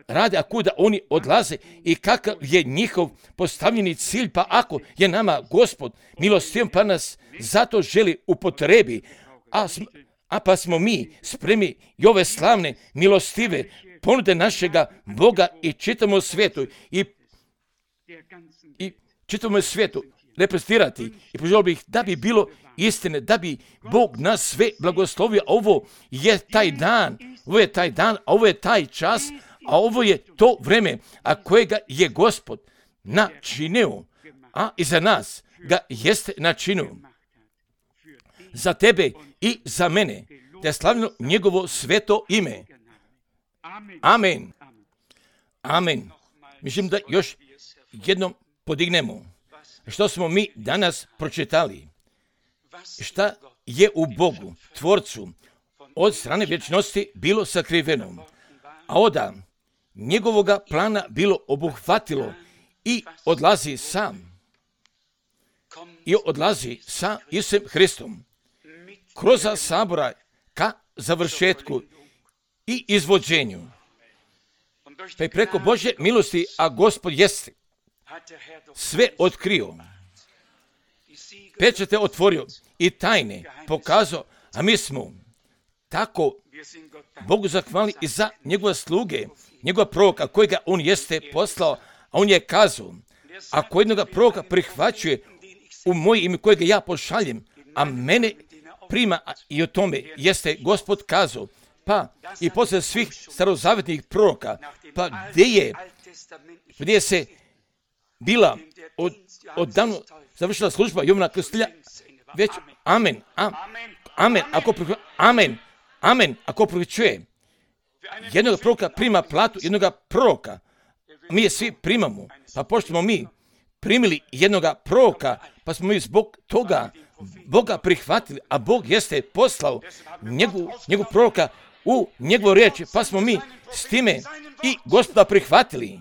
rade, a kuda oni odlaze i kakav je njihov postavljeni cilj, pa ako je nama Gospod milostiv, pa nas zato želi upotrebi, a pa smo mi spremni i ove slavne, milostive ponude našega Boga i čitamo svijetu i čitamo svijetu reprezentirati i poželio bih da bi bilo istine, da bi Bog nas sve blagoslovio. Ovo je taj dan, a ovo je taj čas, a ovo je to vreme, a kojega je Gospod načinio, a i za nas ga jeste načinio. Za tebe i za mene, da je slavno njegovo sveto ime. Amen. Amen. Mislim da još jednom podignemo što smo mi danas pročitali. Šta je u Bogu, Tvorcu, od strane vječnosti bilo sakriveno, a onda njegovoga plana bilo obuhvatilo i odlazi sa Isusom Hristom kroz sabora ka završetku i izvođenju. Pa i preko Božje milosti, a Gospod jeste sve otkrio, pečate otvorio i tajne pokazao, a mi smo tako Bogu zahvalni i za njegove sluge, njegova proroka kojega on jeste poslao, a on je kazao, ako jednoga proroka prihvaćuje u moje ime kojega ja pošaljem, a mene prima, i o tome jeste Gospod kazao, pa i posle svih starozavetnih proroka, pa gdje je se bila odavno završila služba Jovana Krstitelja, već amen, ako prihvaćuje jednog proroka prima platu jednoga proroka, mi je svi primamo, pa pošto smo mi primili jednoga proroka, pa smo mi zbog toga Boga prihvatili, a Bog jeste poslao njegov proroka u njegovu riječ, pa smo mi s time i Gospoda prihvatili.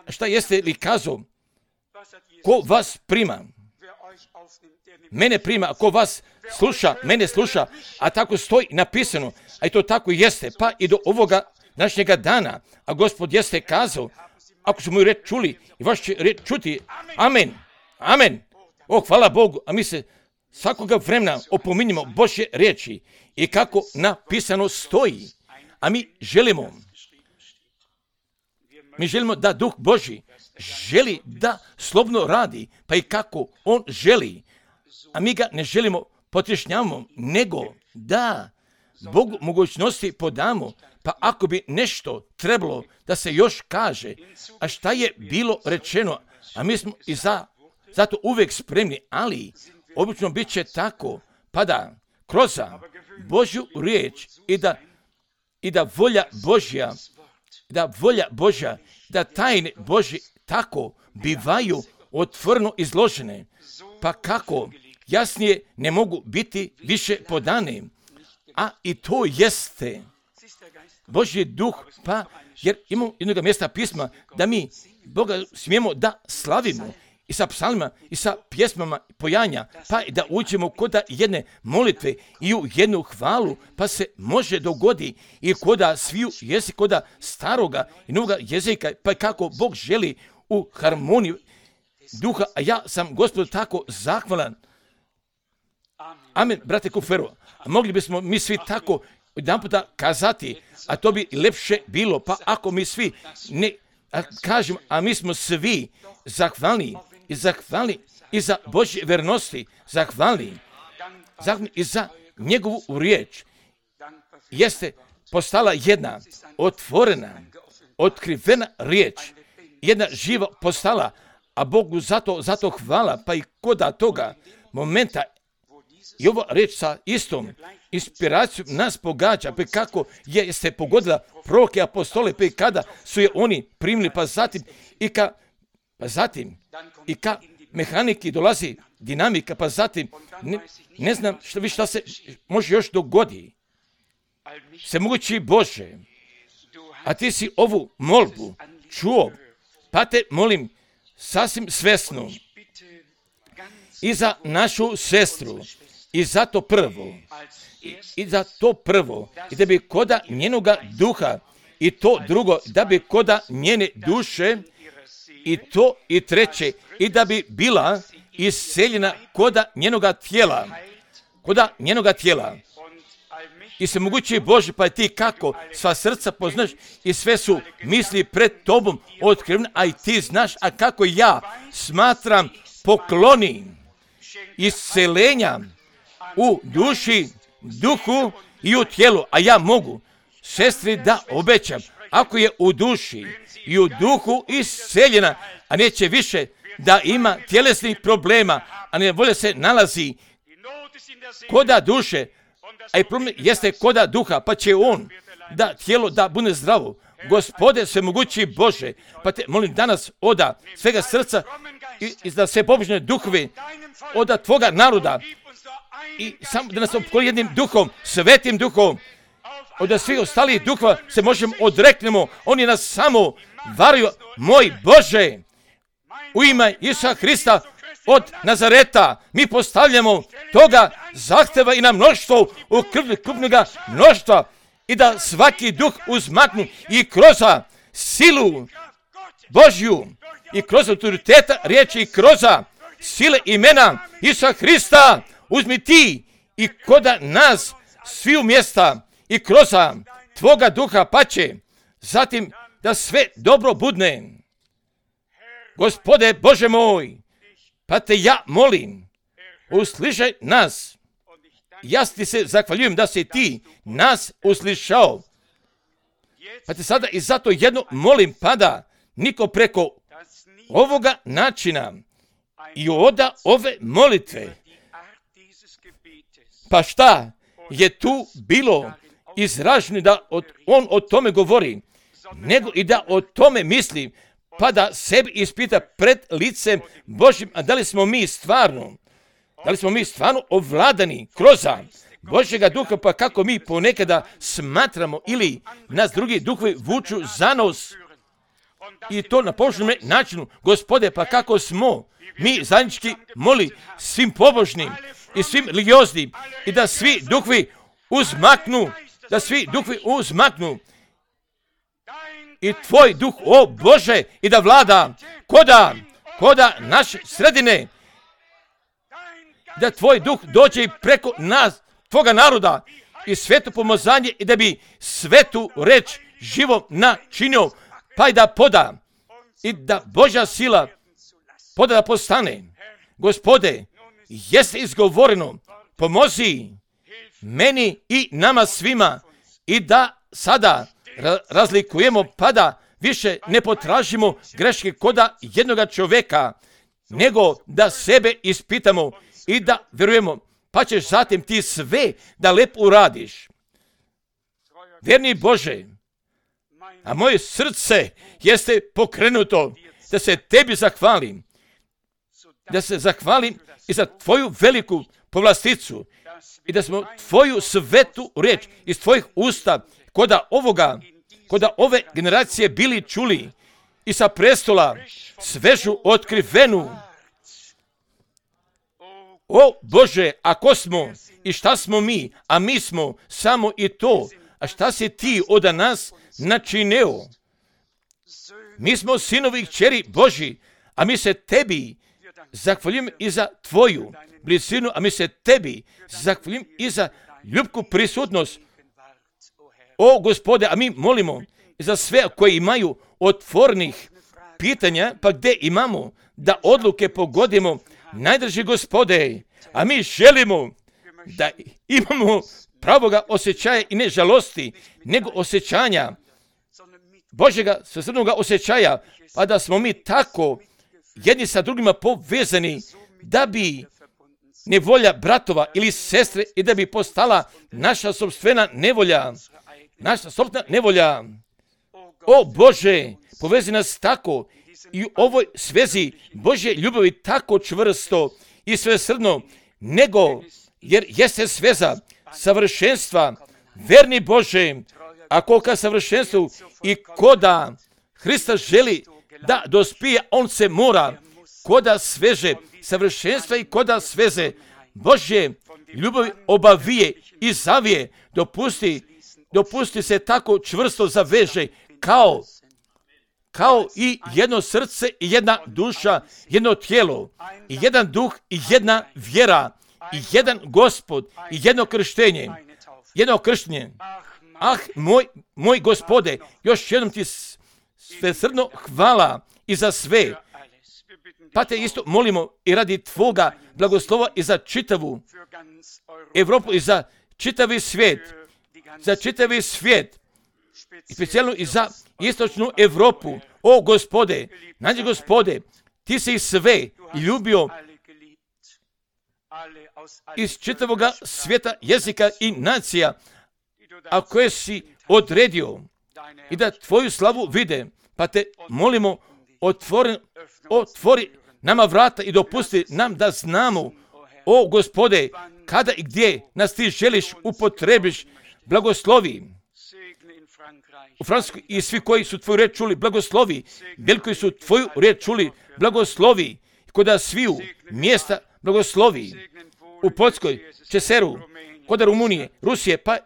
Šta jeste li kazao? Ko vas prima? Mene prima, a ko vas sluša, mene sluša, a tako stoji napisano, a i to tako jeste, pa i do ovoga današnjega dana, a Gospod jeste kazao, ako su moju reč čuli i vaš će reč čuti, amen. O, hvala Bogu, a mi se svakoga vremena opominjemo Božje riječi i kako napisano stoji, a mi želimo da Duh Božji želi da slobodno radi, pa i kako on želi, a mi ga ne želimo potrešnjavamo, nego da Bogu mogućnosti podamo, pa ako bi nešto trebalo da se još kaže, a šta je bilo rečeno, a mi smo i zato uvijek spremni, ali obično bit će tako, pa da kroz Božju riječ i da volja Božja, da tajne Božje tako bivaju otvoreno izložene, pa kako jasnije ne mogu biti više podane, a i to jeste Božji duh, pa jer imamo jednog mjesta pisma da mi Boga smijemo da slavimo i sa psalmima i sa pjesmama pojanja, pa i da uđemo kod jedne molitve i u jednu hvalu, pa se može dogodi i koda sviju jezik, koda staroga i novoga jezika, pa kako Bog želi u harmoniju duha, a ja sam Gospodu tako zahvalan. Amen, brate Kufero, a mogli bismo mi svi tako jedan puta kazati, a to bi lepše bilo, pa ako mi svi ne kažem, a mi smo svi zahvalni i za Božje vernosti, zahvalni i za njegovu riječ. Jeste postala jedna otvorena, otkrivena riječ, jedna živa postala, a Bogu zato hvala, pa i koda toga momenta i ova riječ sa istom inspiracijom nas pogađa, pa kako jeste pogodila proroke, apostole, pa i kada su je oni primili, pa zatim i ka mehaniki dolazi dinamika, pa zatim ne znam šta se može još dogodi. Svemogući Bože, a ti si ovu molbu čuo, pa te molim sasvim svesno i za našu sestru, i za to prvo, i da bi koda njenoga duha, i to drugo, da bi koda njene duše, i to i treće, i da bi bila isceljena koda njenoga tijela, i svemogući Bože, pa ti kako sva srca poznaš i sve su misli pred tobom otkrivene, a i ti znaš, a kako ja smatram pokloni iscelenja u duši, duhu i u tijelu, a ja mogu sestri da obećam, ako je u duši i u duhu isceljena, a neće više da ima tjelesnih problema, a ne volja se nalazi koda duše, a i problem jeste koda duha, pa će on da tijelo da bude zdravo. Gospode svemogući Bože, pa te molim danas oda svega srca i da se pobožne duhove oda tvoga naroda i samo da nas opkoli jednim duhom, svetim duhom, od svih ostalih duhova se možemo odreknemo, oni nas samo varaju, moj Bože, u ime Isusa Hrista od Nazareta, mi postavljamo toga zahteva i na mnoštvo, u krupnoga mnoštva, i da svaki duh uzmaknu i kroz silu Božju i kroz autoriteta riječi i kroz sile imena Isusa Hrista, uzmi ti i koda nas svi u mjesta i kroz tvoga duha pače, zatim da sve dobro budne. Gospode Bože moj, pa te ja molim, uslišaj nas. Ja ti se zahvaljujem da si ti nas uslišao. Pa te sada i zato jedno molim, pada niko preko ovoga načina i oda ove molitve. Pa šta je tu bilo izraženo da on o tome govori, nego i da o tome misli, pa da sebi ispita pred licem Božjim, a da li smo mi stvarno ovladani kroz Božjega duha, pa kako mi ponekada smatramo ili nas drugi duhovi vuču za nos i to na površnom načinu. Gospode, pa kako smo mi zajednički moli svim pobožnim i svim religioznim i da svi duhovi uzmaknu, i tvoj duh, o Bože, i da vlada koda naše sredine, da tvoj duh dođe preko nas, tvoga naroda, i sveto pomazanje, i da bi svetu reč živom načinio, pa i da poda, i da Božja sila poda da postane. Gospode, jeste izgovoreno, pomozi meni i nama svima, i da sada razlikujemo, pa da više ne potražimo greške koda jednoga čovjeka, nego da sebe ispitamo i da vjerujemo, pa ćeš zatim ti sve da lepo uradiš. Vjerni Bože, a moje srce jeste pokrenuto da se tebi zahvalim, da se zahvalim i za tvoju veliku povlasticu i da smo tvoju svetu riječ iz tvojih usta koda ove generacije bili čuli i sa prestola svežu otkrivenu. O Bože, a ko smo i šta smo mi, a mi smo samo i to, a šta si ti od nas načineo? Mi smo sinovi i kćeri Božji, a mi se tebi zahvaljujem i za tvoju blizinu, a mi se tebi zahvaljujem i za ljubku prisutnost. O Gospode, a mi molimo i za sve koji imaju otvornih pitanja, pa gdje imamo da odluke pogodimo, najdraži Gospode, a mi želimo da imamo pravoga osjećaja i ne žalosti, nego osjećanja, Božjega svesrdnoga osjećaja, pa da smo mi tako jedni sa drugima povezani, da bi nevolja bratova ili sestre i da bi postala naša sopstvena nevolja. O Bože, povezi nas tako i u ovoj svezi Božje ljubavi tako čvrsto i svesrdno, nego jer jeste sveza savršenstva, verni Bože, a kolika savršenstvu i koda Hrista želi da dospije, on se mora koda sveže savršenstva i koda sveze Božje ljubavi obavije i zavije, dopusti se tako čvrsto zaveže kao i jedno srce i jedna duša, jedno tijelo, i jedan duh i jedna vjera, i jedan Gospod i jedno krštenje. jedno krštenje. Moj Gospode, još jednom ti svesrdno hvala i za sve. Pa te isto molimo i radi tvoga blagoslova i za čitavu Evropu i za čitavi svijet. Za čitavi svijet. I specijalno i za istočnu Evropu. O Gospode, nađi Gospode, ti si sve ljubio iz čitavoga svijeta, jezika i nacija, a koje si odredio i da tvoju slavu vide. Pa te molimo, otvori nama vrata i dopusti nam da znamo, o Gospode, kada i gdje nas ti želiš upotrebiš. Blagoslovi u Francuskoj i svi koji su tvoju riječ čuli, blagoslovi. Bili koji su tvoju riječ čuli, blagoslovi. Koda sviju mjesta blagoslovi. U Poljskoj, Česeru, koda Rumunije, Rusije, pa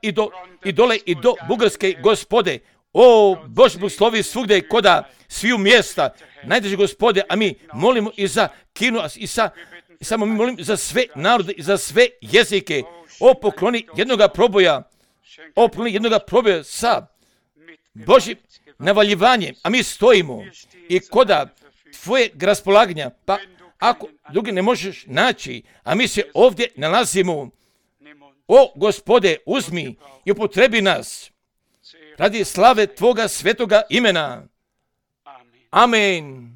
i dole i do Bugarske, Gospode. O Bože, blagoslovi svugdje koda sviju mjesta. Najdrži Gospode, a mi molimo i za Kinu i samo mi molimo za sve narode i za sve jezike. O pokloni jednoga proboja. O pokloni jednoga proboja sa Božim navaljivanjem, a mi stojimo i koda tvojeg raspolaganja, pa ako drugi ne možeš naći, a mi se ovdje nalazimo, o Gospode, uzmi i upotrebi nas radi slave tvoga svetoga imena. Amen.